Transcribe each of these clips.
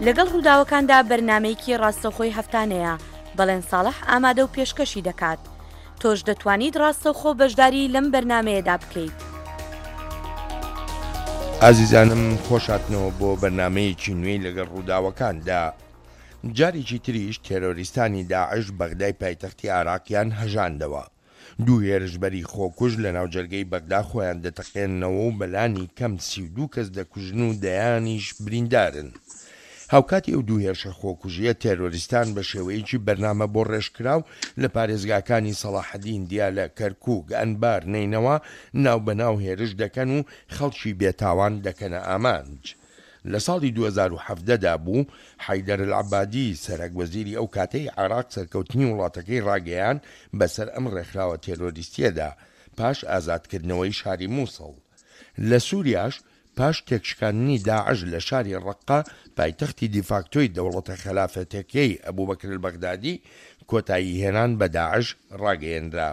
لەگەڵ ڕووداوەکاندا بەرنامەیەکی ڕاستەوخۆی هەفتانەیە، بەڵێن ساڵح ئامادە و پێشکەشی دەکات. تۆش دەتوانیت ڕاستەوخۆ بەشداری لەم بەرنامەیەدا بکەیت. ئازیزانم خۆشهاتنەوە بۆ بەرنامەیەکی نوێی لەگەڵ ڕووداوەکاندا. جارێکی تریش تێرۆریستانی داعش بەغدای پایتەختی عێراقیان هەژاندەوە. دوو هێرشبەری خۆکوژ لە ناوجەرگەی بەغدا خۆیان دەتەقێننەوە و بەلانی کەم 32 کەس دەکوژن و دەیانیش بریندارن. هاوکاتی ئەو دوو هێرشە خۆکوژییە، تێرۆریستان بە شێوەیەکی بەرنامە بۆ ڕێژکراو لە پارێزگاکانی سەڵاحەدین، دیالە، کەرکووک، ئەنبار، نەینەوا ناوبەناو هێرش دەکەن و خەڵکی بێتاوان دەکەنە ئامانج. لە ساڵی 2017 دا بوو، حەیدەر العەبادی، سەرەک وەزیری ئەو کاتەی عێراق سەرکەوتنی وڵاتەکەی ڕاگەیاند بەسەر ئەم ڕێکخراوە تێرۆریستییەدا پاش ئازادکردنەوەی شاری موسڵ. لە سوریاش پاش تێکشکاندنی داعش لە شاری ڕەققە، پایتەختی دیفاکتۆی دەوڵەتە خەلافەتەکەی ئەبوبەکر البەغدادی، کۆتاییهێنان بە داعش ڕاگەیەنرا.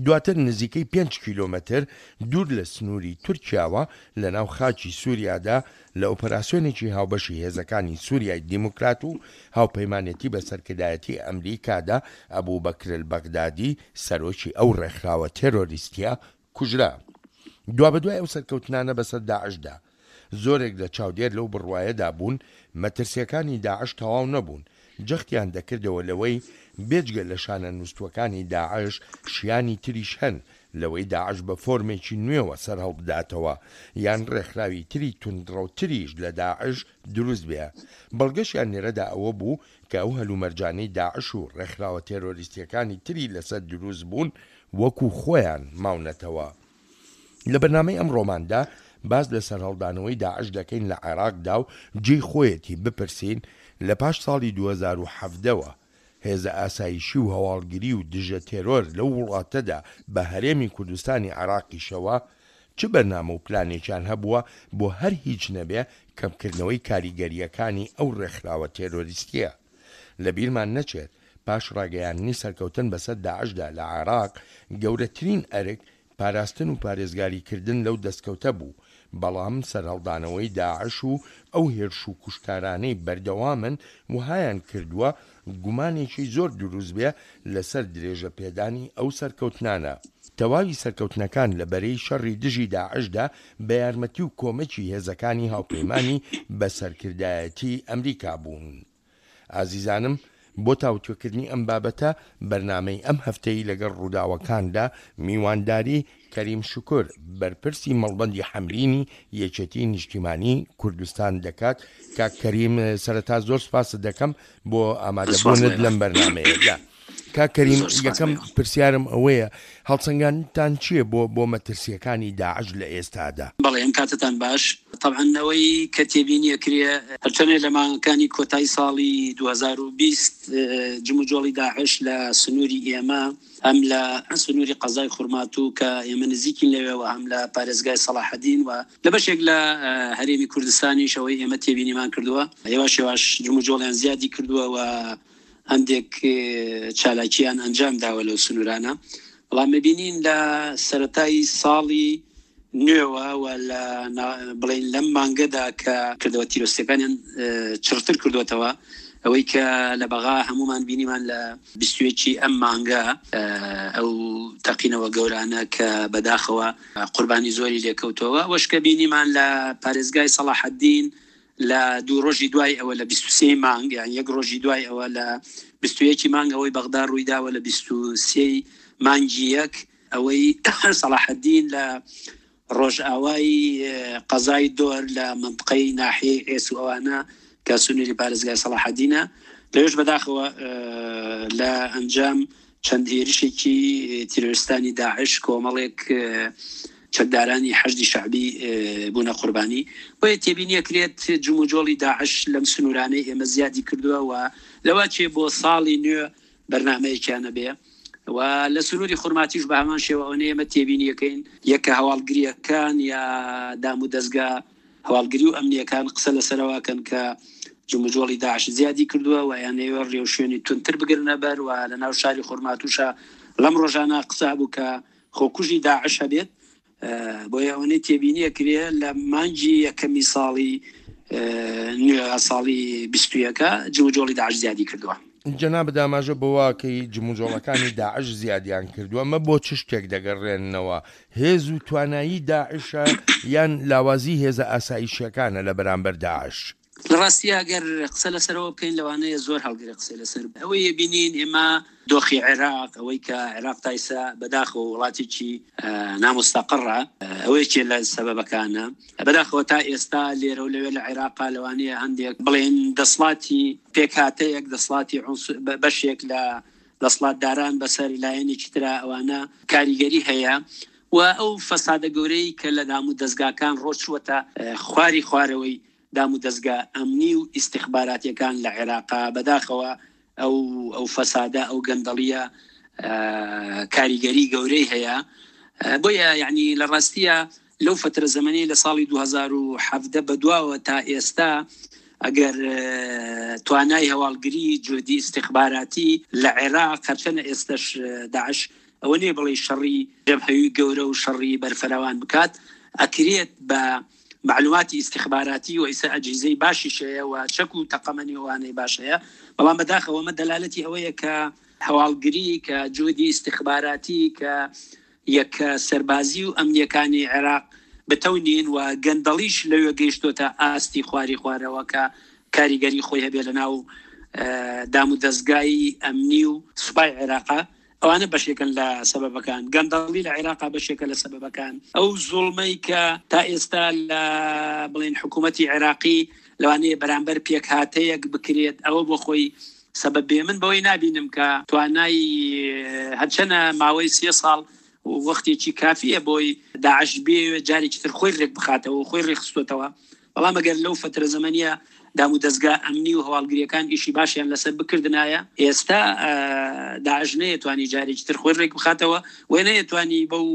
دواتر نزیکەی پێنج کیلۆمەتر دوور لە سنووری تورکیاوە لەناو خاکی سوریادا لە ئۆپەراسیۆنێکی هاوبەشی هێزەکانی سوریای دیموکرات و هاوپەیمانێتی بە سەرکردایەتی ئەمریکادا ئەبوبەکر البەغدادی سەرۆکی ئەو ڕێکخراوە تێرۆریستیە کوژرا. دوابەدوای ئەو سەرکەوتنانە بەسەر داعشدا، زۆرێک لە چاودێر لەو بڕوایەدا بوون مەترسییەکانی داعش تەواو نەبوون، جەختیان دەکردەوە لەوەی بێجگە لە شانە نووستووەکانی داعش شیانی تریش هەن لەوەی داعش بە فۆرمێکی نوێوە سەرهەڵبداتەوە یان ڕێکخراوی تری توندڕەوتریش لە داعش دروست بێ. بەڵگەشیان لێرەدا ئەوە بوو کە ئەو هەلومەرجانەی داعش و ڕێکخراوە تێرۆریستییەکانی تری لەسەر دروست بوون وەکو خۆیان ماونەتەوە. لە بەرنامەی ئەمڕۆماندا باس لە سەرهەڵدانەوەی داعش دەکەین لە عێراقدا و جێی خۆیەتی بپرسین لە پاش ساڵی 2017 وە هێزە ئاسایشی و هەواڵگری و دژە تێرۆر لەو وڵاتەدا بە هەرێمی کوردستانی عێراقیشەوە چ بەرنامە و پلانێکیان هەبووە بۆ هەر هیچ نەبێ کەمکردنەوەی کاریگەرییەکانی ئەو ڕێکخراوە تێرۆریستییە. لە بیرمان نەچێت پاش ڕاگەیاندنی سەرکەوتن بەسەر داعشدا لە عێراق، گەورەترین ئەرک پاراستن و پارێزگاریکردن لەو دەستکەوتە بوو، بەڵام سەرهەڵدانەوەی داعش و ئەو هێرش و کوشتارانەی بەردەوامن وەهایان کردووە گومانێکی زۆر دروست بێ لەسەر درێژەپێدانی ئەو سەرکەوتنانە. تەواوی سەرکەوتنەکان لە بەرەی شەڕی دژی داعشدا بە یارمەتی و کۆمەکی هێزەکانی هاوپەیمانی بە سەرکردایەتی ئەمریکا بوون. ئازیزانم بۆ تاوتوێکردنی ئەم بابەتە بەرنامەی ئەم هەفتەی لەگەڵ ڕووداوەکاندا میوانداری کەریم شوکر بەرپرسی مەڵبەندی حەمرینی یەکێتی نیشتیمانی کوردستان دەکات. کاک کەریم سەرەتا زۆر سپاست دەکەم بۆ ئامادەبوونت لەم بەرنامەیەدا. کاک کەریم یەکەم پرسیارم ئەوەیە هەڵسەنگاندتان چییە بۆ بۆ مەترسییەکانی داعش لە ئێستادا؟ بەڵێ ئەم کاتەتان باش. تەبعەن ئەوەی کە تێبینی ئەکرێ هەرچەنێ لە مانگەکانی کۆتای ساڵی 2020 جموجۆڵی داعش لە سنووری ئێمە هەم لە سنووری قەزای خورماتوو کە ئێمە نزیکین لەوێوە هەم لە پارێزگای سەڵاحەدین و لە بەشێک لە هەرێمی کوردستانیش ئەوەی ئێمە تێبینیمان کردووە هێواش هێواش جموجۆڵیان زیادی کردووە و هەندێک چالاکییان ئەنجام داوە لەو سنوورانە، بەڵام ببینین لە سەرەتای ساڵی نوێوە و لە بڵێین لەم مانگەدا کە کردەوە تیرۆستیەکانیان چڕتر کردوێتەوە ئەوەی کە لە بەغا هەمومان بینیمان لە بیستویەکی ئەم مانگە ئەو تەقینەوە گەورانە کە بەداخەوە قوربانی زۆری لێکەوتەوە وەشکە بینیمان لە پارێزگای سەڵاحەدین لە دوو ڕۆژی دوای ئەوە لە 23 مانگ یان یەک ڕۆژی دوای ئەوە لە 21 مانگ ئەوەی بەغدا ڕوویداوە لە 23 مانگی یەک ئەوەی سەڵاحەدین لە ڕۆژئاوای قەزای دۆر لە منطقەی ناحیەی ئێس و ئەوانە کە سنووری پارێزگای سەڵاحەدینە لەوێش بەداخەوە لە ئەنجام چەند هێرشێکی تیرۆریستانی داعش کۆمەڵێک چەکدارانی حەشدی شەعبی بوونە قوربانی. بۆیە تێبینی ئەکرێت جموجۆڵی داعش لەم سنوورانەی ئێمە زیادی کردووە و لەوەچێ بۆ ساڵی نوێ بەرنامەیەکیان هەبێ و لە سنووری خورماتیش بە هەمان شێوە ئەوەنەی ئێمە تێبینی ئەکەین یەکە هەواڵگرییەکان یا دامودەزگا هەواڵگری و ئەمنییەکان قسە لەسەر ئەوە ئەکەن کە جموجۆڵی داعش زیادی کردووە و ئەیانەوێ ڕێوشوێنی توندتر بگرنە بەر و لە ناو شاری خورماتووشا لەم ڕۆژانە قسە هەبوو کە خۆکوژی داعش هەبێت بۆیە ئەوەنەی تێبینی ئەکرێ لە مانگی یەکەمی ساڵی نوێ ساڵی 21 جموجۆڵی داعش زیادی کردووە. جەنابت ئاماژە بەوە ئەکەی جموجۆڵەکانی داعش زیادیان کردووە، ئەمە بۆ چ شتێک دەگەڕێننەوە؟ هێز و توانایی داعشە یان لاوازی هێزە ئاسایشیەکانە لە بەرامبەر داعش؟ لە ڕاستیا گەر قسە لەسەرەوە بکەین لەوانەیە زۆر هەڵگرێ قسەی لەسەر ئەوەی بینین ئێمە دۆخی عێراق ئەوەی کە عێراق تا ئیستا بەداخەوە وڵاتێکی نامستەقڕە ئەوە یەکێ لە سەبەبەکانە بەداخەوە تا ئێستا لێرە و لەوێ لە عێراقا لەوانەیە هەندێک بڵێن دەسڵاتی پێکهاتەیەک دەسڵاتی بەشێک لە دەسڵاتداران بەسەر لایەنێکی ترا ئەوانە کاریگەری هەیە و ئەو فەسادە گەورەی کە لە دام و دەزگاکان ڕۆچووەتە خواری خوارەوەی دام و دەزگا ئەمنی و ئیستخباراتیەکان لە عێراقا بەداخەوە ئەو ئەو فەسادە ئەو گەندەڵیە کاریگەری گەورەی هەیە بۆیە یعنی لە ڕاستیە لەو فترە زەمەنی لە ساڵی 2017 بەدواوە تا ئێستا ئەگەر توانای هەواڵگری جودی استخباراتی لە عێراق هەرچەنە ئێستش داعش ئەوە نیە بڵێ شەڕی جەبهەوی گەورە و شەڕی بەرفراوان بکات ئەکرێت بە مەعلوماتی ئیستیخباراتی و ئیستا ئەجهیزەی باشیش هەیە و چەک و تەقەمەنی و ئەوانەی باش هەیە، بەڵام بەداخەوە ئەمە دەلالەتی ئەوەیە کە هەواڵگری، کە جوهدی ئیستیخباراتی، کە یەکە سەربازی و ئەمنییەکانی عێراق بتەو نین و گەندەڵیش لەوێ گەیشتۆتە ئاستی خواری خوارەوە کە کاریگەری خۆی هەبێ لەناو دامودەزگای ئەمنی و سوپای عێراقا. ئەوانە بەشێکن لە سەبەبەکان. گەندەڵی لە عێراقا بەشێکە لە سەبەبەکان. ئەو زوڵمەی کە تا ئێستا لە بڵێن حکوومەتی عێراقی لەوانەیە بەرامبەر پێکهاتەیەک بکرێت ئەوە بۆ خۆی سەبەب بێ. من بەوەی نابینم کە توانای هەرچەنە ماوەی سێ ساڵ وەختێکی کافیە بۆی داعش بێ جارێکی تر خۆی رێک بخاتەوە و خۆی رێکخستۆتەوە، بەڵام ئەگەر لەو فەترە زەمەنیە دامودەزگا ئەمنی و هەواڵگریەکان ئیشی باشیان لەسەر بکردنایە ئێستا داعش نەیەتوانی جارێکی تر خۆی ڕێک بخاتەوە و نەیەتوانی بەو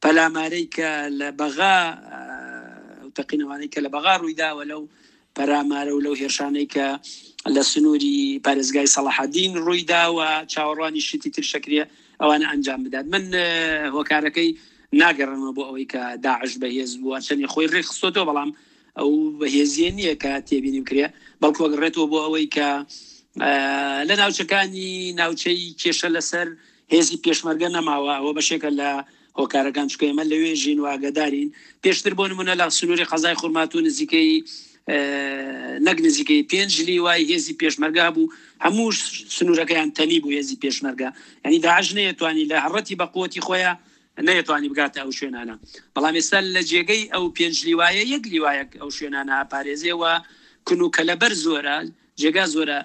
پەلامارەی کە لە بەغا و تەقینەوانەی کە لە بەغا ڕوویداوە لەو پەرامارە و لەو هێرشانەی کە لە سنووری پارێزگای سەڵاحەدین ڕوویداوە چاوەڕوانی شتی تر شەکرێ ئەوانە ئەنجام بدات من هۆکارەکەی ناگەڕێنەوە بۆ ئەوەی کە داعش بەهێز بووە چەندی خۆی ڕێکخستۆتەوە بەڵام ئەو بەهێزیە نییە کە تێبینی بکرێ بەڵکو ئەگەڕێتەوە بۆ ئەوەی کە لە ناوچەکانی ناوچەی کێشە لەسەر هێزی پێشمەرگە نەماوە ئەوە بەشێکە لە هۆکارەکان چکە ئێمە لەوێ ژین و ئاگادارین پێشتر بۆ نمونە لە سنووری قەزای خورماتوو نزیکەی نەک نزیکەی پێنج لیوای هێزی پێشمەرگە هەبوو هەموو سنوورەکەیان تەنی بوو هێزی پێشمەرگە ینی داعش نەیەتوانی لە هەڕەتی بە قوتی خۆیان نەیەتوانی بگاتە ئەو شوێنانە بەڵام ئێستا لە جێگەی ئەو پێنج لیوایە یەک لیوایەک ئەو شوێنانە ئاپارێزێ و کون و کەلەبەر زۆرە جێگا زۆرە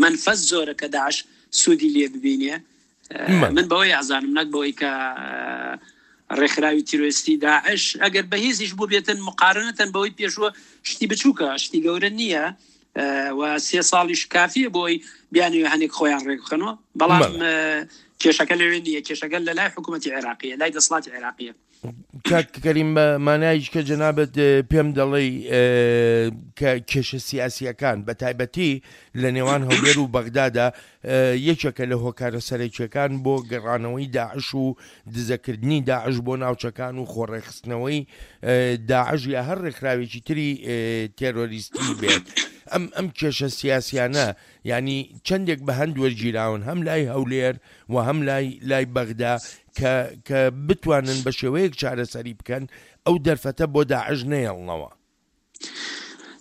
مەنفەز زۆرە کە داعش سوودی لێ ببینێ من بەوەی ئازانم نەک بەوەی کە ڕێکخراوی تیرۆریستی داعش ئەگەر بەهێزیش بوو بێتن مقارنەتەن بەوەی پێشووە شتی بچووکە شتی گەورە نییە و سێ ساڵیش کافیە بۆی بیانەوە هەنێک خۆیان ڕێکبخەنەوە بەڵام کێشەکە لەوێ نییە کێشەکە لە لای حکوومەتتی عێراقیە لای دەسڵاتی عێراقیە کاک کەریم بە مانایش کە جەنابت پێم دەڵێی کە کێشە سیاسیەکان بە تایبەتی لە نێوان هەولێر و بەغدادا یەکێکە لە هۆکارە سەرەکیەکان بۆ گەڕانەوەی داعش و دزەکردنی داعش بۆ ناوچەکان و خۆڕێکخستنەوەی داعش یا هەر ڕێکخراوێکی تری تێرۆریستی بێت ئەم ئەم کێشە سیاسیانە یانی چەندێک بە هەند وەرگیراون هەم لای هەولێر و هەم لای لای بەغدا کە کە بتوانن بە شێوەیەک چارەسەری بکەن ئەو دەرفەتە بۆ داعش نەیەڵنەوە.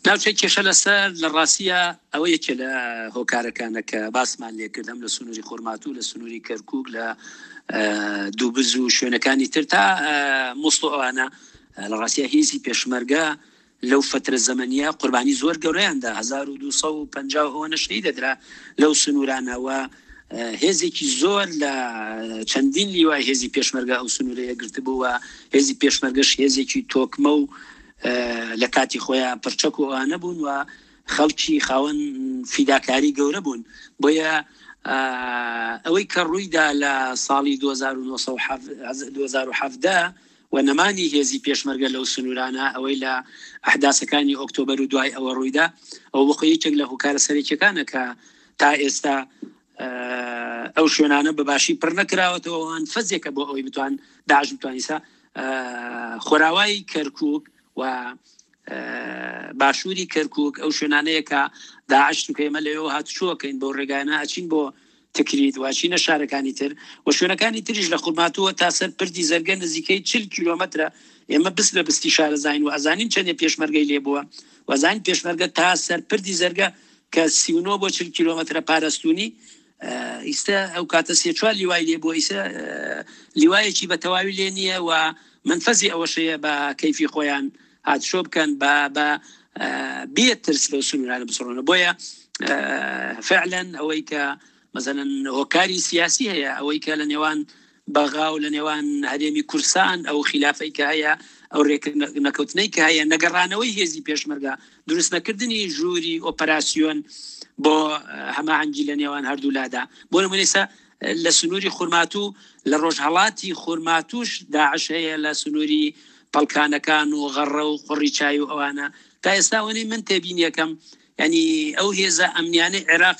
ناوچەی کێشە لەسەر لە ڕاستیا ئەوە یەکێ لە هۆکارەکانە کە باسمان لێکرد هەم لە سنووری خورماتوو لە سنووری کەرکووک لە دووبز و شوێنەکانی تر تا موسڵ و ئەوانە لە ڕاستیا هێزی پێشمەرگە لەو فەترە زەمەنیە قوربانی زۆر گەورەیان دا 1250 و ئەوەنە شەهید دەدرا لەو سنوورانە و هێزێکی زۆر لە چەندین لیوای هێزی پێشمەرگە ئەو سنوورەیە گرتبوو و هێزی پێشمەرگەش هێزێکی تۆکمە و لە کاتی خۆیان پرچەک و ئەوانە بوون و خەڵکی خاوەن فیداکاری گەورە بوون بۆیە ئەوەی کە ڕوویدا لە ساڵی 2017 و نەمانی هێزی پێشمەرگە لەو سنوورانە، ئەوەی لە ئەحداسەکانی ئۆکتۆبەر و دوای ئەوە ڕوویدا، ئەوە بۆ خۆی یەکێک لە هۆکارە سەرەکیەکانە کە تا ئێستا ئەو شوێنانە بە باشی پڕ نەکراوەتەوە، ئەوان فەزێکە بۆ ئەوەی بتوان داعش بتوانیسا خۆراوای کەرکووک و. باشووری کەرکک ئەو شوێنانەیە کە داعش چونکە ئێمە لەوێوە هاتوچۆکەین بەو ڕێگایانە ئەچین بۆ تکریت و ئەچینە شارەکانی تر و شوێنەکانی تریش لە خورماتووە تا سەر پردی زەرگە نزیکەی چل کیلۆمەترە ئێمە بست بە بستی شارەزاین و ئەزانین چەندێ پێشمەرگەی لێ بووە و ئەزانین پێشمەرگە تا سەر پردی زەرگە کە 39 بۆ 40 کیلۆمەترە پارستونی ئیستا ئەو کاتە سێ چوار لیوای لێ بووە ئیسە لیوایەکی بە تەواوی لێ نییە و منفەزی ئەوەشەیە بە کەیفی خۆیان هاتشۆ بکەن بە بە بێ ترس لەو سنوورانە بسڕنەوە بۆیە فعلەن ئەوەی کە مەزەلەن هۆکاری سیاسی هەیە ئەوەی کە لە نێوان بەغا و لە نێوان هەرێمی کورسان ئەو خلافەی کە هەیە ئەو رێکنەکەوتنەی کە هەیە نەگەڕانەوەی هێزی پێشمەرگە دروست نەکردنی ژووری ئۆپەراسیۆن بۆ هەماهەنگی لە نێوان هەردوو لادا بۆ نمونە لە سنووری خورماتوو لە ڕۆژهەڵاتی خورماتووش داعش هەیە لە سنووری پەڵکانەکان و غەڕە و قوڕی چای و ئەوانە تا ئێستا ئەوەنەی من تێبینیەکەم یعنی ئەو هێزە ئەمنیانەی عێراق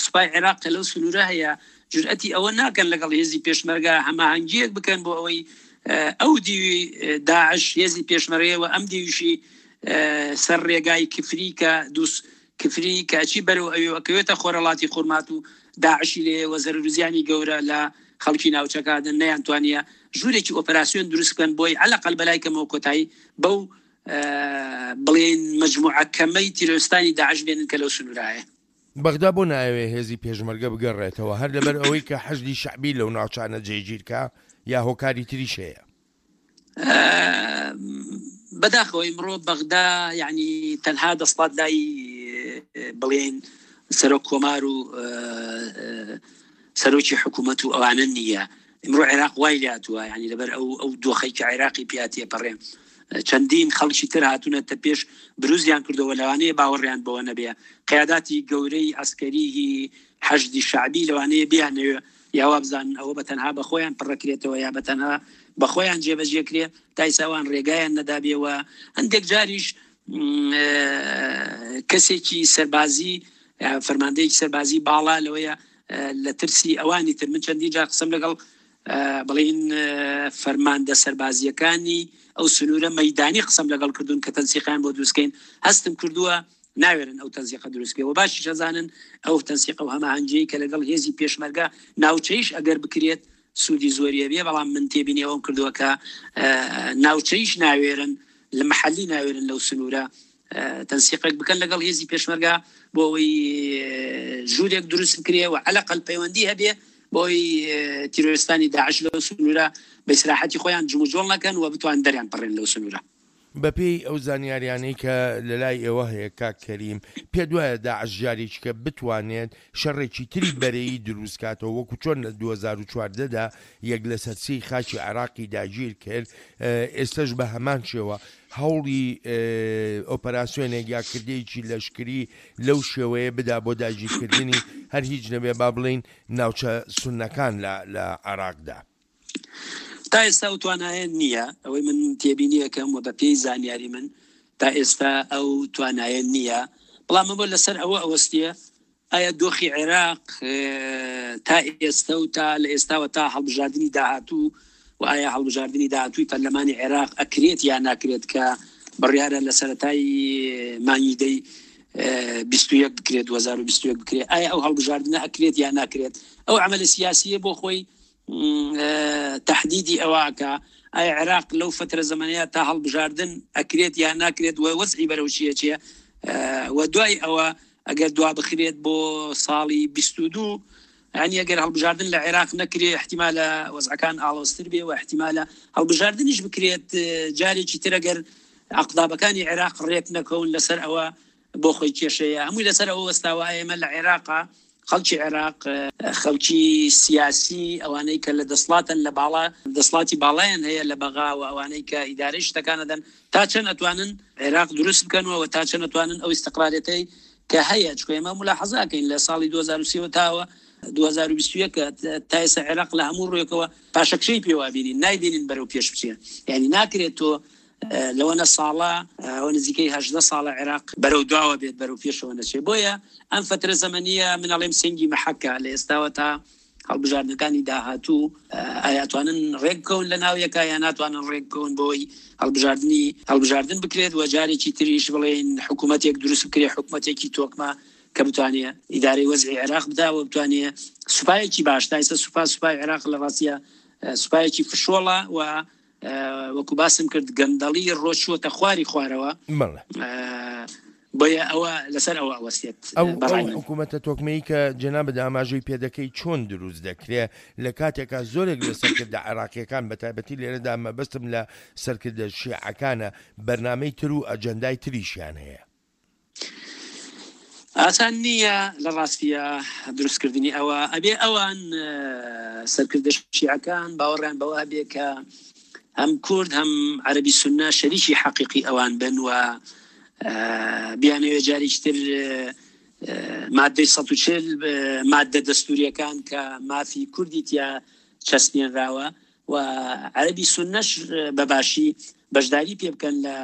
سوپای عێراق کە لەو سنوورە هەیە جورئەتی ئەوە ناکەن لەگەڵ هێزی پێشمەرگە هەماهەنگیەک بکەن بۆ ئەوەی ئەو دیوی داعش هێزی پێشمەرگەیە و ئەم دیویشی سەر ڕێگای کفری کە دووس کفری کە ئەچی بەرەو ئەوێ و ئەکەوێتە خۆرهەڵاتی خورماتوو داعشی لێیە و زەرەر و زیانی گەورە لە خەڵکی ناوچەکە ئەدەن نەیانتوانیە ژوورێکی ئۆپەراسیۆن دروست بکەن بۆی عەلەقەل بەلای کەمەوە کۆتایی بەو بڵێین مەجموعە کەمەی تیرۆرستانی داعش بێنن کە لەو سنوورە هەیە. بەغدا بۆ نایەوێ هێزی پێشمەرگە بگەڕێتەوە هەر لەبەر ئەوەی کە حەشدی شەعبی لەو ناوچانە جێگیر کا یا هۆکاری تریش هەیە؟ بەداخەوە ئیمڕۆ بەغدا یعنی تەنها دەسڵات لای بڵێن سەرۆک کۆمار و سەرۆکی حکوومەت و ئەوانە نییە ئمڕۆ عێراق وای لاتووە ینی لەبەر ئەو ئەو دۆخی کە عێراقی پیاتیە پەڕێ چەندین خەڵکی تر هاتوونەتە پێش بروزیان کردەوە لەوانەیە باوەڕیان بەوە نەبێ قیاداتی گەورەی ئەسکەریی حەشدی شعبی لەوانەیە بیانەوێ یا وابزانن ئەوە بە تەنها بە خۆیان پڕەکرێتەوە یا بە تەنها بە خۆیان جێبەجێ کرێ تا ئیستا ئەوان ڕێگایان نەدابێ و هەندێک جاریش کەسێکی سەربازی فەرماندەیەکی سەربازی باڵا لەوەیە لە ترسی ئەوانی تر من چەندین جار قسەم لەگەڵ بڵین فەرماندە سەربازیەکانی ئەو سنوورە مەدانی قسەم لەگەڵ کردوون کە تەنسیقیان بۆ دروستکەین هەستم کردووە ناوێرن ئەو تەنسیقە دروست بکەن و باشیش ئەزانن ئەو تەنسیقە و هەماهەنگیەی کە لەگەڵ هێزی پێشمەرگە ناوچەیش ئەگەر بکرێت سوودی زۆری ئەبێ بەڵام من تێبینی ئەوەم کردووە کە ناوچەیش ناوێرن لە محلی ناوێرن لەو سنوورە تەنسیقێک بکەن لەگەڵ هێزی پێشمەرگە بۆ ئەوەی ژوورێک دروست بکرێ و عەلەقەل پەیوەندی هەبێ بۆی تیرۆرستانی داعش لەو سنوورە بە ئیسراحەتی خۆیان جموجۆڵ نەکەن و بتوان دەریان پەڕێن لەو سنوورە. بەپێی ئەو زانیاریانەی کە لەلای ئێوە هەیە کاک کەریم، پێت وایە داعش جارێکیکە بتوانێت شەڕێکی تری بەرەیی دروست کاتەوە وەکو چۆن لە 2014 دا یەک لەسەر سێی خاکی عێراقی داگیر کرد ئێستەش بە هەمان شێوە هەوڵی ئۆپەراسیۆنێک یا کردەیەکی لەشکری لەو شێوەیە بدا بۆ داگیرکردنی هەر هیچ نەبێ با بڵێین ناوچە سوننەکان لە عێراقدا؟ تا ئێستا ئەو توانایە نییە، ئەوەی من تێبینیەکەم و بەپێی زانیاری من تا ئێستا ئەو توانایە نییە، بەڵام ئەمە لەسەر ئەوە ئەوەستێ ئایا دۆخی عێراق تا ئێستا و تا لە ئێستاوە تا هەڵبژاردنی داهاتوو و ئایا هەڵبژاردنی داهاتووی پەرلەمانی عێراق ئەکرێت یا ناکرێت کە بڕیارە لە سەرەتای مانگی دەی 21 بکرێت 2021 بکرێت ئایا ئەو هەڵبژاردنە ئەکرێت یا ناکرێت ئەو عمل سیاسیە بۆ خۆی تەحدیدی ئەوە ئەکا ئایا عێراق لەو فترە زەمەنەیە تا هەڵبژاردن ئەکرێت یا ناکرێت و وەزعی بەرەو چیە چیە و دوای ئەوە ئەگەر دوا بخرێت بۆ ساڵی 22 ینی ئەگەر هەڵبژاردن لە عێراق نەکرێ احتیمالە وەزعەکان ئاڵۆزتر بێ و احتیمالە هەڵبژاردنیش بکرێت جارێکی تر ئەگەر ئەقدابەکانی عێراق ڕێک نەکەون لەسەر ئەوە بۆ خۆی کێشەیە هەمووی لەسەر ئەوە وەستاوە ئێمە لە عێراقا خەڵکی عێراق خەڵکی سیاسی ئەوانەی کە لە دەسڵاتن لە باڵا دەسڵاتی باڵایان هەیە لە بەغا و ئەوانەی کە ئیدارەی شتەکان ئەدەن تا چەند ئەتوانن عێراق دروست بکەنەوە و تا چەند ئەتوانن ئەو ئیستقرارێتەی کە هەیە چونکە ئێمە ملاحەزە ئەکەین لە ساڵی 2003 تاوە 2021 تا ئێستا عێراق لە هەموو ڕوویەکەوە پاشەکشەی پێوە بینین نایبینین بەرەو پێش بچێ یعنی ناکرێت تۆ لەوەنە ساڵە ئەوە نزیکەی 18 ساڵە عێراق بەرەو دواوە بێت بەرەو پێشەوە نەچێت بۆیە ئەم فترە زەمەنیە من ئەڵێم سنگی مەحەکە لە ئێستاوە تا. هەڵبژاردنەکانی داهاتوو ئایا ئەتوانن ڕێک بکەون لە ناو یەکا یا ناتوانن ڕێک بکەون بۆی هەڵبژاردنی هەڵبژاردن بکرێت و جارێکی تریش بڵێین حکوومەتێک دروست بکرێت حکوومەتێکی تۆکمە کە بتوانێ ئیدارەی وەزعی عێراق بدا و بتوانێ سوپایەکی باش تا ئێستا سوپا سوپای عێراق لە ڕاستیە سوپایەکی فشۆڵە و وەکو باسم کرد گەندەڵی ڕۆچووەتە خواری خوارەوە بۆیە ئەوە لەسەر ئەوە ئەوەستێت ئەو حکوومەتە تۆکمەی کە جەنابت ئاماژەی پێدەکەی چۆن دروست دەکرێ لە کاتێکا زۆرێک لە سەرکردە عێراقیەکان بە تایبەتی لێرەدا مەبەستم لە سەرکردە شیعەکانە بەرنامەی تر و ئەجەندای تریشیان هەیە. ئاسان نییە لە ڕاستیە دروستکردنی ئەوە ئەبێ ئەوان سەرکردە شیعەکان باوەڕیان بەوە هەبێ کە هەم کورد هەم عەربی سونە شەریکی حەقیقی ئەوان بن و بیانەوێ جارێکی تر مادەی 140 مادە دەستوریەکان کە مافی کوردی تیا چەسپێنراوە و عەرەبی سوننەش بە باشی بەشداری پێ بکەن لە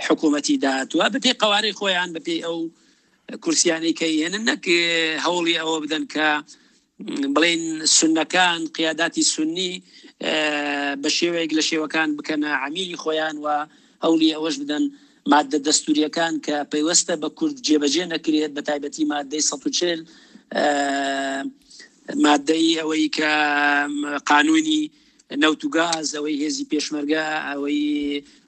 حکوومەتی داهاتووە بەپێی قەوارەی خۆیان بەپێی ئەو کورسیانەی کە هێنن نەک هەوڵی ئەوە بدەن کە بڵین سونەکان قیاداتی سنی بە شێوەیەک لە شێوەکان بکەنە عمیلی خۆیان و هەوڵی ئەوەش بدەن مادە دەستوریەکان کە پەیوەستە بە کورد جێبەجێ نەکرێت بە تایبەتی مادەی 140 مادەی ئەوەی کە قانونی نەوت و گاز ئەوەی هێزی پێشمەرگە ئەوەی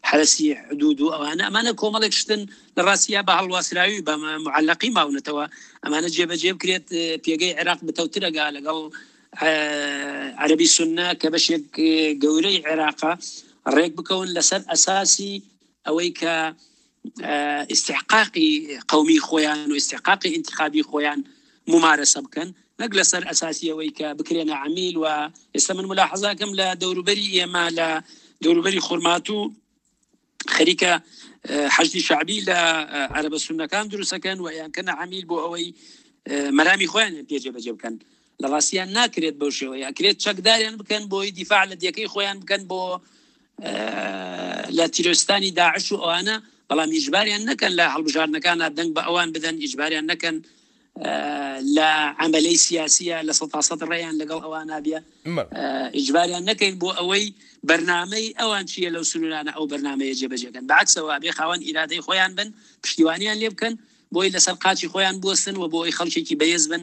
حرەسی حدود و ئەوانە ئەمانە کۆمەڵێک شتن لە ڕاستیە بە هەڵواسراوی بە معلقی ماونەتەوە ئەمانە جێبەجێ بکرێت پێگەی عێراق بتەوترەگا لەگەڵ عەربی سنە کە بەشێک گەورەی عێراقە ڕێک بکەون لەسەر ئەساسی ئەوەی کە ئیستحقاقی قەومی خۆیان و ئیستحقاقی ئینتخابی خۆیان ممارەسە بکەن نەک لەسەر ئەساسی ئەوەی کە بکرێنە عەمیل و ئێستا من ملاحەزاکەم لە دەوروبەری ئێمە لە دەوروبەری خورماتوو خەریکە حەشدی شعبی لە عەرەبە سوننەکان دروستەکەن و یانکەنە عەمیل بۆ ئەوەی مەرامی خۆیان پێ جێبەجێ بکەن لە ڕاستیان ناکرێت بەو شێوەیە ئەکرێت چەکداریان بکەن بۆی دیفاع لە دێکەی خۆیان بکەن بۆ لە تیرۆرستانی داعش و ئەوانە بەڵام ئیجباریان نەکەن لە هەڵبژاردنەکانە دەنگ بە ئەوان بدەن ئیجباریان نەکەن لە عملەی سیاسیە لە سەتاسەد ڕێیان لەگەڵ ئەوان نابە ئیجباریان نەکەین بۆ ئەوەی بەرنمەی ئەوان چییە لەو سنوورانە ئەو بەرنمەیە جێبەجێکەن بەعکسەوە بێ خاوەن ئیرادەی خۆیان بن پشتیوانیان لێ بکەن بۆی لەسەر قاچی خۆیان بوەستن و بۆ ئەوی خەڵکێکی بەهێز بن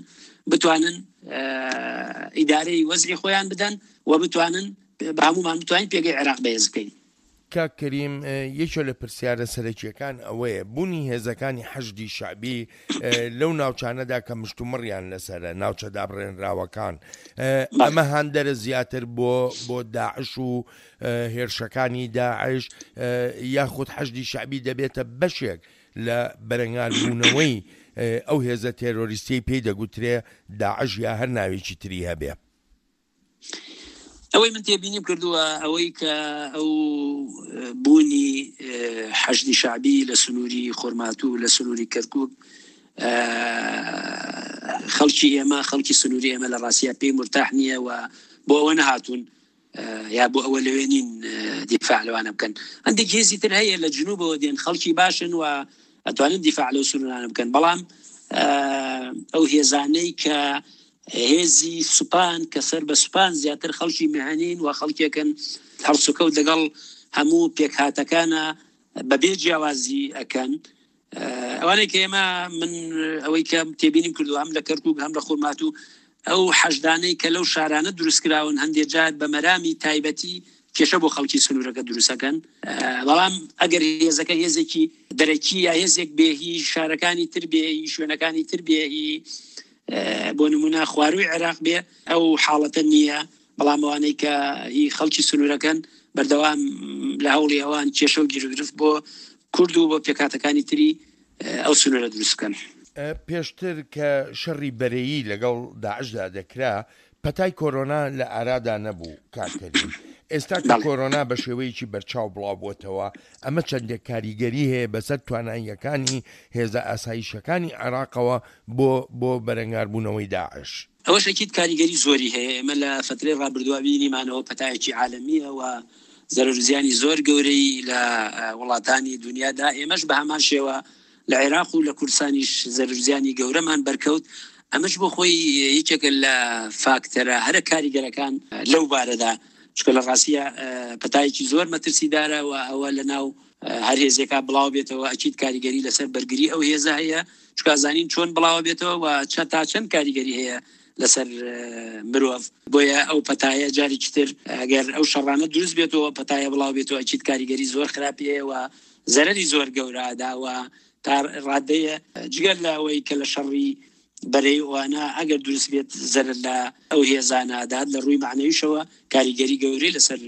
بتوانن ئیدارەی وەزعی خۆیان بدەن و بتوانن بە هەموومان بتوانین پێگەی عێراق بەهێز بکەین. کاک کەریم یەکێ لە پرسیارە سەرەکیەکان ئەوەیە بوونی هێزەکانی حەشدی شەعبی لەو ناوچانەدا کە مشتومڕیان لەسەرە ناوچە دابڕێنراوەکان ئەمە هاندەرە زیاتر بۆ بۆ داعش و هێرشەکانی داعش یاخود حەشدی شەعبی دەبێتە بەشێک لە بەرەنگاربوونەوەی ئەو هێزە تێرۆریستیەی پێی دەگوترێ داعش یا هەر ناوێکی تری هەبێ. ئەوەی من تێبینیم کردووە ئەوەی کە ئەو بوونی حەشدی شەعبی لە سنووری خۆرماتوو لە سنووری کەرکوک خەڵکی ئێمە خەڵکی سنووری ئێمە لە ڕاستیا پێی مرتاح نییە و بۆ ئەوە نەهاتوون یا بۆ ئەوە لەوێ نین دیفاع لەوانە بکەن هەندێک هێزی تر هەیە لە جنوبەوە دێن خەڵکی باشن و ئەتوانن دیفاع لەو سنوورانە بکەن بەڵام ئەو هێزانەی کە هێزی سوپان کە سەر بە سوپان زیاتر خەڵکی میهەنین و خەڵکێکن هەڵسوکەوت لەگەڵ هەموو پێکهاتەکانە بەبێ جیاوازی ئەکەن ئەوانەی کە ئێمە من ئەوەی کە تێبینیم کردو هەم لە کەرکک هەم لە خورماتوو ئەو حەشدانەی کە لەو شارانە دروستکراون هەندێک جار بە مەرامی تایبەتی کێشە بۆ خەڵکی سنوورەکە دروستەکەن بەڵام ئەگەر هێزەکە هێزێکی دەرەکی یا هێزێک بێ هی شارەکانی تر بێ هی شوێنەکانی تر بێ هی بۆ نمونە خواروی عێراق بێ ئەو حاڵەتە نییە بەڵام ئەوانەی کە هی خەڵکی سنوورەکەن بەردەوام لە هەوڵی ئەوان کێشە و گیروگرفت بۆ کورد و بۆ پێکهاتەکانی تری ئەو سنوورە دروست بکەن. پێشتر کە شەڕی بەرەیی لەگەڵ داعشدا دەکرا، پەتای کۆرۆنا لە ئارادا نەبوو کاک کەریم. ئێستا کە کۆرۆنا بە شێوەیەکی بەرچاو بڵاوبووەتەوە، ئەمە چەندێک کاریگەری هەیە بەسەر تواناییەکانی هێزە ئاسایشەکانی عێراقەوە بۆ بۆ بەرەنگاربوونەوەی داعش؟ ئەوەش ئەکید کاریگەری زۆری هەیە، ئێمە لە فەترەی ڕابردووە بینیمانەوە پەتایەکی عالەمییە و زەرەر و زیانی زۆر گەورەی لە وڵاتانی دونیا دا، ئێمەش بە هەمان شێوە لە عێراق و لە کوردستانیش زەرەر و زیانی گەورەمان بەرکەوت. ئەمەش بۆ خۆی یەکێکە لە فاکتەرە هەرە کاریگەرەکان لەو بارەدا، چونکە لە ڕاستییا پەتایەکی زۆر مەترسیدارە و ئەوە لە ناو هەر هێزێکا بڵاو بێتەوە ئەکید کاریگەری لەسەر بەرگری ئەو هێزە هەیە، چونکە ئەزانین چۆن بڵاوە بێتەوە و تا چەند کاریگەری هەیە لەسەر مرۆڤ. بۆیە ئەو پەتایە جارێکی تر ئەگەر ئەو شەڕانە دروست بێتەوە پەتایە بڵاو بێتەوە ئەکید کاریگەری زۆر خراپی هەیە و زەرەری زۆر گەورە ئەدا و تا ڕادەیە جگە لە ئەوەی کە لە شەڕی بەرەی ئەوانە ئەگەر دروست بێت زەرەر لە ئەو هێزانە ئەدات لە ڕووی مەعنەویشەوە کاریگەری گەورەی لەسەر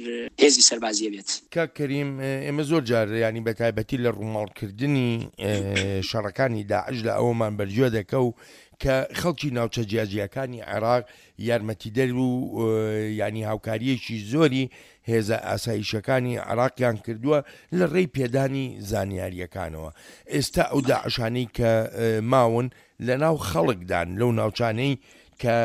هێزی سەربازی ئەبێت. کاک کەریم ئێمە زۆر جار یانی بە تایبەتی لە ڕووماڵکردنی شەڕەکانی داعش لە ئەوەمان بەرگوێ دەکەو کە خەڵکی ناوچە جیاجیاکانی عێراق یارمەتیدەر و یانی هاوکارییەکی زۆری هێزە ئاسایشەکانی عێراقیان کردووە لە ڕێی پێدانی زانیارییەکانەوە. ئێستا ئەو داعشانەی کە ماون لە ناو خەڵکدان لەو ناوچانەی کە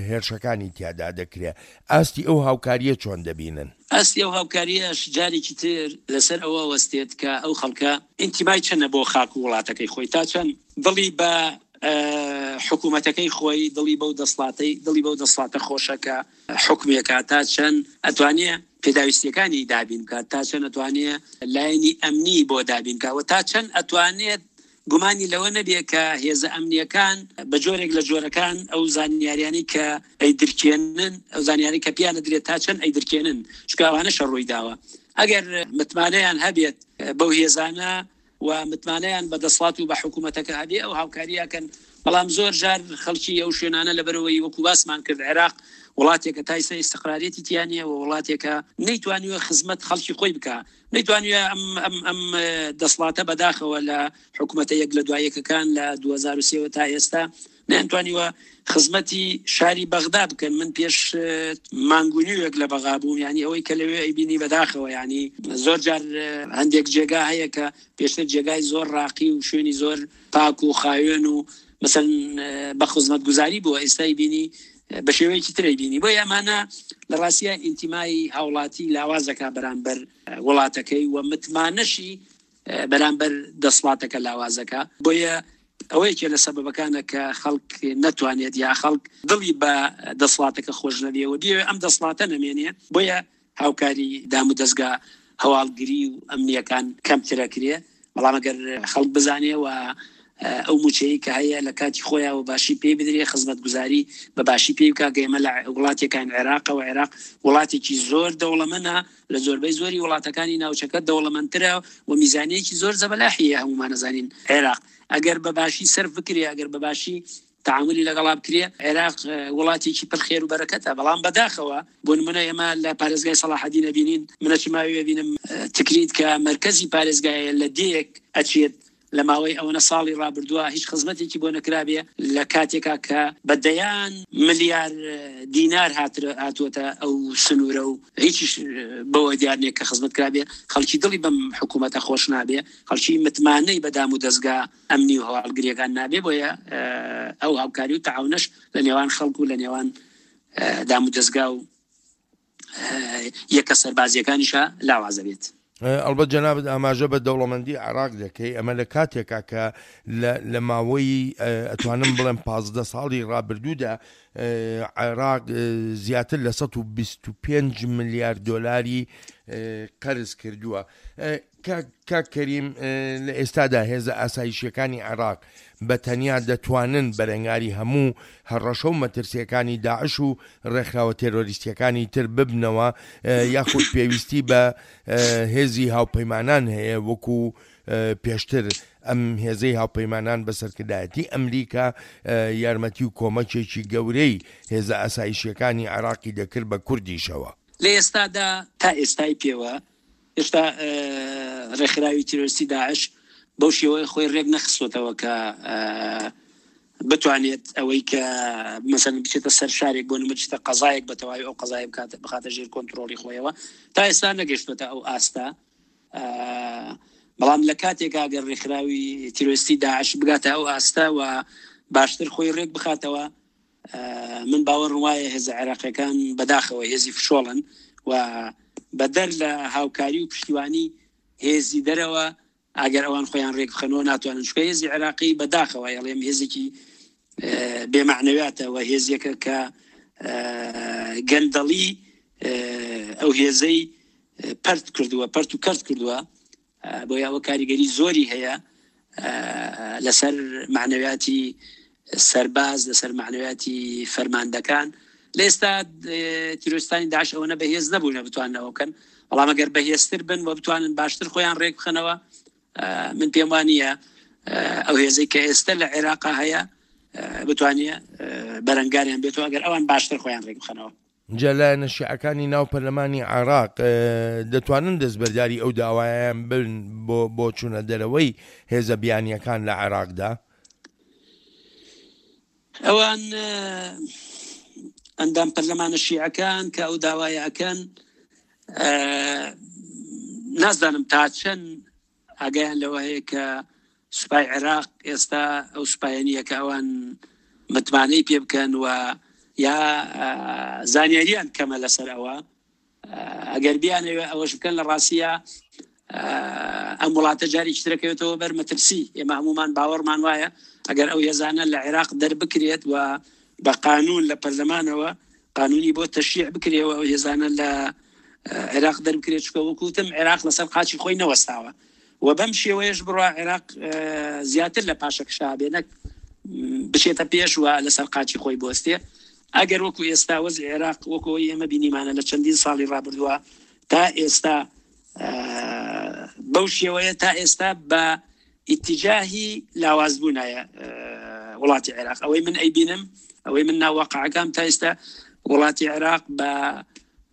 هێرشەکانی تیادا دەکرێ. ئاستی ئەو هاوکارییە چۆن دەبینن؟ ئاستی ئەو هاوکارییەش جارێکی تر لەسەر ئەوە وەستێت کە ئەو خەڵکە ئینتیمای چەندە بۆ خاک و وڵاتەکەی خۆی، تا چەند دڵی بە حکوومەتەکەی خۆی، دڵی بەو دەسڵاتەی، دڵی بەو دەسڵاتە خۆشە کە حوکمی ئەکات، تا چەند ئەتوانێ پێداویستییەکانی دابین بکات، تا چەند ئەتوانێ لایەنی ئەمنی بۆ دابین بکات و تا چەند ئەتوانێت گومانی لەوە نەبێ کە هێزە ئەمنییەکان بە جۆرێک لە جۆرەکان ئەو زانیاریانەی کە ئەیدرکێنن، ئەو زانیاری کە پێیان ئەدرێت تا چەند ئەیدرکێنن، چونکە ئەوانەشە ڕووی داوە. ئەگەر متمانەیان هەبێت بەو هێزانە و متمانەیان بە دەسڵات و بە حکوومەتەکە هەبێ ئەو هاوکارییە ئەکەن، بەڵام زۆر جار خەڵکی ئەو شوێنانە لەبەرئەوەی وەکوو باسمان کرد عێراق وڵاتێکە تا ئیستا ئیستقراریەتی تیا نییە و وڵاتێکە نەیتوانیوە خزمەت خەڵکی خۆی بکا، نەیتوانیوە ئەم ئەم ئەم دەسڵاتە بەداخەوە لە حکوومەتە یەک لە دوای یەکەکان لە 2003 وە تا ئێستا نەیانتوانیوە خزمەتی شاری بەغدا بکەن. من پێش مانگ و نیوێک لە بەغا بووم، یانی ئەوەی کە لەوێ ئەیبینی بەداخەوە، یانی زۆر جار هەندێک جێگا هەیە کە پێشتر جێگای زۆر ڕاقی و شوێنی زۆر پاک و خاوێن و مەسەلەن بە خزمەتگوزاری بووە، ئێستا ئەیبینی بە شێوەیەکی تر ئەیبینی. بۆیە ئەمانە لە ڕاستیا ئینتیمای هاوڵاتی لاواز دەکا بەرامبەر وڵاتەکەی و متمانەشی بەرامبەر دەسڵاتەکە لاواز دەکا. بۆیە ئەوە یەکێ لە سەبەبەکانە کە خەڵک نەتوانێت یا خەڵک دڵی بە دەسڵاتەکە خۆش نەبێ و بیەوێ ئەم دەسڵاتە نەمێنێ. بۆیە هاوکاری دامودەزگا هەواڵگری و ئەمنییەکان کەمتر ئەکرێ. بەڵام ئەگەر خەڵک بزانێ و ئەو مووچەی کە هەیە لە کاتی خۆیا و باشی پێی بدرێ، خزمەتگوزاری بە باشی پێی بکا، کە ئێمە لە وڵاتێکاین عێراقە و عێراق وڵاتێکی زۆر دەوڵەمەنە، لە زۆربەی زۆری وڵاتەکانی ناوچەکە دەوڵەمەندترە و میزانیەکی زۆر زەبەلاحی هەیە، هەموومان ئەزانین عێراق ئەگەر بە باشی سەرف بکرێ، ئەگەر بە باشی تەعامولی لەگەڵا بکرێ، عێراق وڵاتێکی پڕ خێر و بەرەکەتە، بەڵام بەداخەوە بۆ نمونە ئێمە لە پارێزگای سەڵاحەدین ئەبینین، من ئەچم ئەوێ ئەبینم تکریت کە مەرکەزی پارێزگایە لە دێیەک ئەچێت لە ماوەی ئەوەنە ساڵی ڕابردووە هیچ خزمەتێکی بۆ نەکرابێ لە کاتێکا کە بە دەیان ملیار دینار هاتووەتە ئەو سنوورە و هیچیش بەوە دیار نییە کە خزمەت کرابێ، خەڵکی دڵی بەم حکوومەتە خۆش نابێ، خەڵکی متمانەی بە دام و دەزگا ئەمنی و هەواڵگرییەکان نابێ، بۆیە ئەو هاوکاری و تەعاونەش لە نێوان خەڵک و لە نێوان دام و دەزگا و یەکە سەربازییەکانیشا لاواز ئەبێت. ئەڵبەت جەنابت ئاماژە بە دەوڵەمەندی عێراق دەکەی، ئەمە لە کاتێکا کە لە ماوەی ئەتوانم بڵێم 15 ساڵی ڕابردوودا عێراق زیاتر لە 125 ملیار دۆلاری قەرز کردووە. کاک کەریم لە ئێستادا هێزە ئاسایشیەکانی عێراق بە تەنیا دەتوانن بەرەنگاری هەموو هەڕەشە و مەترسیەکانی داعش و ڕێکخراوە تێرۆریستیەکانی تر ببنەوە یاخود پێویستی بە هێزی هاوپەیمانان هەیە وەکو پێشتر ئەم هێزەی هاوپەیمانان بە سەرکردایەتی ئەمریکا یارمەتی و کۆمەکێکی گەورەی هێزە ئاسایشیەکانی عێراقی دەکرد بە کوردیشەوە. لە ئێستادا تا ئێستای پێوە هێشتا ڕێکخراوی تیرۆریستی داعش بەو شێوەیە خۆی ڕێک نەخستۆتەوە کە بتوانێت ئەوەی کە مەسەن بچێتە سەر شارێک بۆ نمونە بچێتە قەزایەک بە تەواوی ئەو قەزای بکات بخاتە ژێر کۆنتترۆڵی خۆیەوە تا ئێستا نەگەشتۆتە ئەو ئاستە بەڵام لە کاتێک ئەگەر ڕێکخراوی تیرۆریستی داعش بگاتە ئەو ئاستە و باشتر خۆی ڕێک بخاتەوە من باوەڕم وایە هێزە عێراقیەکان بەداخەوە هێزی فشۆڵن و بەدەر لە هاوکاری و پشتیوانی هێزی دەرەوە ئەگەر ئەوان خۆیان ڕێک بخەنەوە ناتوانن چونکە هێزی عێراقی بەداخەوە ئەڵێم هێزێکی. بێ مەعنەویاتە و هێزێکە کە گەندەڵی ئەو هێزەی پەرت کردووە، پەرت و کەرت کردووە، بۆیە ئەوە کاریگەری زۆری هەیە لەسەر مەعنەویاتی سەرباز، لەسەر مەعنەویاتی فەرماندەکان. لە ئێستا تیرۆریستانی داعش ئەوەنە بەهێز نەبوونە بتوانن ئەوە بکەن، بەڵام ئەگەر بەهێزتر بن و بتوانن باشتر خۆیان ڕێک بخەنەوە، من پێم وانییە ئەو هێزەی کە ئێستا لە عێراقا هەیە بتوانێ بەرەنگاریان بێتەوە ئەگەر ئەوان باشتر خۆیان ڕێک بخەنەوە. جا لایەنە شیعەکانی ناو پەرلەمانی عێراق دەتوانن دەستبەرداری ئەو داوایەیان بن بۆ بۆ چوونە دەرەوەی هێزە بیانییەکان لە عێراقدا؟ ئەوان ئەندام پەرلەمانە شیعەکان کە ئەو داوایە ئەکەن نازانم تا چەند ئاگایان لەوە هەیە کە سوپای عێراق ئێستا ئەو سوپایە نییە کە ئەوان متمانەی پێ بکەن و یا زانیاریان کەمە لەسەر ئەوە ئەگەر بیانەوێ ئەوەش بکەن لە ڕاستیە ئەم وڵاتە جارێکی ترەکەوێتەوە بەر مەترسی ئێمە هەمومان باوەڕمان وایە ئەگەر ئەو هێزانە لە عێراق دەربکرێت و بە قانون لە پەرلەمانەوە قانونی بۆ تەشریع بکرێەوە ئەو هێزانە لە عێراق دەربکرێت چکە وەکوتم عێراق لەسەر قاچی خۆی نەوەستاوە و بەم شێوەیەش بڕوا عێراق زیاتر لە پاشەکشا بێ نەک بچێتە پێش و لەسەر قاچی خۆی بۆستێ ئەگەر وەکو ئێستا وەزعی عێراق وەکو ئەوەی ئێمە بینیمانە لە چەندین ساڵی ڕابردووە تا ئێستا بەو شێوەیە تا ئێستا بە ئیتیجاهی لاوازبوونایە وڵاتی عێراق ئەوەی من ئەیبینم ئەوەی من ناواقعەکان تا ئێستا وڵاتی عێراق بە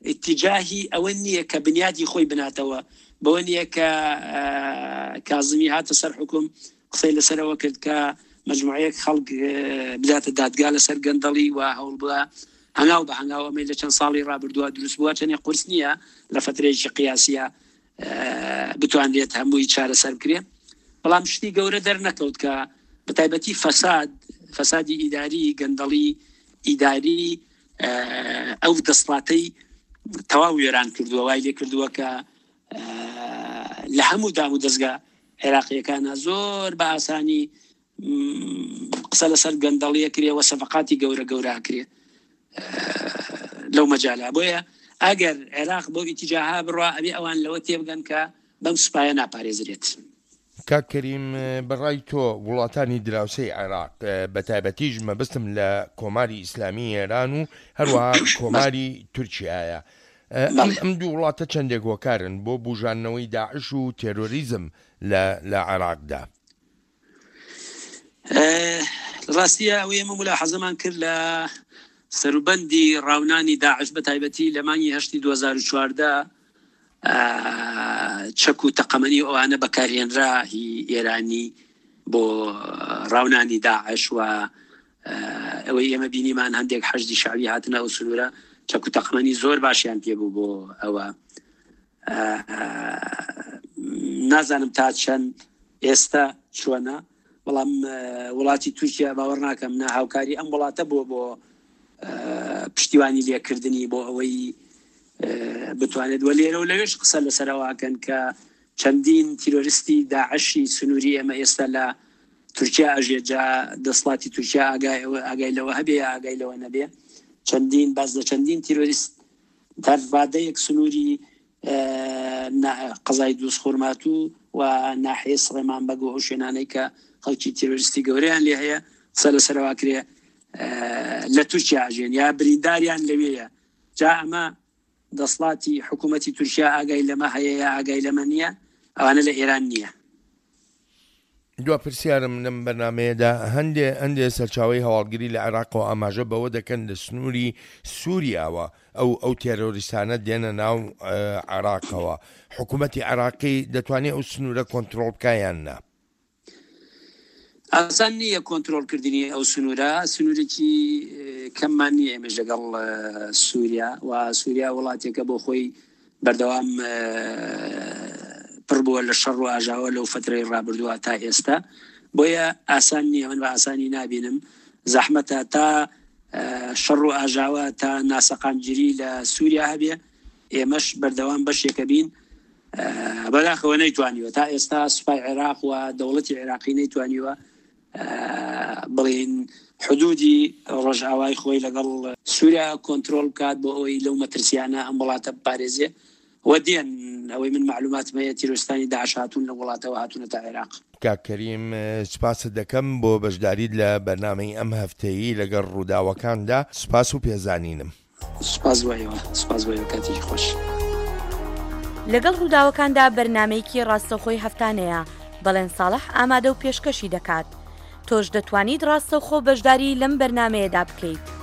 ئیتیجاهی ئەوە نییە کە بنیادی خۆی بناتەوە بەوە نییە کە کازمی هاتە سەر حکوم قسەی لەسەرەوە کرد کە مەجموعەیەک خەڵک بداتە دادگا لەسەر گەندەڵی و هەوڵ بدا هەنگاو بە هەنگاو ئەمەی لە چەند ساڵی ڕابردووە دروست بووە چەندێ قورس نییە لە فترەیەکی قیاسیە بتوانرێت هەمووی چارەسەر بکرێ بەڵام شتی گەورە دەرنەکەوت کە بەتایبەتی فەساد فەسادی ئیداری گەندەڵی ئیداری ئەو دەسڵاتەی تەواو وێران کردووە وای لێ کردووە کە لە هەموو دام و دەستگا عێراقیەکانە زۆر بە ئاسانی قسە لەسەر گەندەڵیە کرێ وە سەفقاتی گەورە گەورە کرێ لەو مەجالە بۆیە ئەگەر عێراق بۆ ئیتیجاها بڕوا ئەبێ ئەوان لەوە تێبگەن کە بەم سوپایە ناپارێزرێت. کاک کەریم بە ڕای تۆ وڵاتانی دراوسێی عێراق بە تایبەتیش مەبەستم لە کۆماری ئیسلامی ئێران و هەروەها کۆماری تورکیایە ئەم ئەم دوو وڵاتە چەندێک هۆکارن بۆ بوژاندنەوەی داعش و تێرۆریزم لە لە عێراقدا؟ ڕاستیە ئەوەی ئێمە مولاحەزەمان کرد لە سەروبەندی ڕاونانی داعش بە تایبەتی لە مانگی هەشتی 2014 چەک و تەقەمەنی ئەوانە بەکارهێنرا هی ئێرانی بۆ ڕاونانی داعش و ئەوەی ئێمە بینیمان هەندێک حەشدی شەعبی هاتنە ئەو سنوورە چەک و تەقەمەنی زۆر باشیان پێ بوو بۆ ئەوە نازانم تا چەند ئێستا چۆنە بەڵام وڵاتی تورکیا باوەڕ ناکەم نە هاوکاری ئەم وڵاتە بووە بۆ پشتیوانی لێکردنی بۆ ئەوەی بتوانێت وە لێرە و لەوێش قسە لەسەرەوەکەن کە چەندین تیرۆریستی داعشی سنووری ئێمە ئێستا لە تورکیا ئەژێت جا دەسڵاتی تورکیا ئاگای ئاگای لەوە هەبێ یا ئاگای لەوە نەبێ چەندین باس لە چەندین تیرۆریست تا ڕادەیەک سنووری قەزای دووزخورماتوو و ناحیەی سڵێمان بەگ و ئەو شوێنانەی کە خەڵکی تیرۆریستی گەورەیان لێ هەیە قسە لەسەرەوە کرێ لە تورکیا ئەژێن یا برینداریان لەوێیە جا ئەمە دەسڵاتی حکوومەتی تورکیا ئاگای لەمە هەیە یا ئاگای لەمە نییە ئەوانە لە ئێران نییە. دوا پرسیارم لەم بەرنامەیەدا هەندێ هەندێ سەرچاوەی هەواڵگری لە عێراقەوە ئاماژە بەوە دەکەن لە سنووری سووریاوە ئەو ئەو تێرۆریستانە دێنە ناو عێراقەوە حکوومەتی عێراقی دەتوانێت ئەو سنوورە کۆنترۆڵ بکا یان نا؟ ئاسان نییە کۆنترۆڵکردنی ئەو سنوورە، سنوورێکی کەممان نییە ئێمەش لەگەڵ سووریا و سووریا وڵاتێکە بۆ خۆی بەردەوام پڕ بووە لە شەڕ و ئاژاوە لەو فترەی ڕابردووە تا ئێستا بۆیە ئاسان نییە من بە ئاسانی نابینم زەحمەتە تا شەڕ و ئاژاوە تا ناسەقامگیری لە سووریا هەبێ ئێمەش بەردەوام بەشێکە بین بەداخەوە نەیتوانیوە تا ئێستا سوپای عێراق و دەوڵەتی عێراقی نەیتوانیوە بڵین. حدودی ڕۆژئاوای خۆی لەگەڵ سووریا کۆنترۆڵ بکات بۆ ئەوەی لەو مەترسیانە ئەم وڵاتە بپارێزێ و دێن، ئەوەی من مەعلوماتم هەیە تیرۆریستانی داعش هاتوون لەو وڵاتەوە هاتوونەتە عێراق. کاک کەریم سوپاست دەکەم بۆ بەشداریت لە بەرنامەی ئەم هەفتەیی لەگەڵ ڕووداوەکاندا، سوپاس و پێزانینم. سوپاس بۆ ئێوە، سوپاس بۆ ئێوە، کاتێکی خۆش. لەگەڵ ڕووداوەکاندا بەرنامەیەکی ڕاستەوخۆی هەفتانەیە، بەڵێن ساڵح ئامادە و پێشکەشی دەکات. تۆش دەتوانیت ڕاستەوخۆ بەشداری لەم بەرنامەیەدا بکەیت.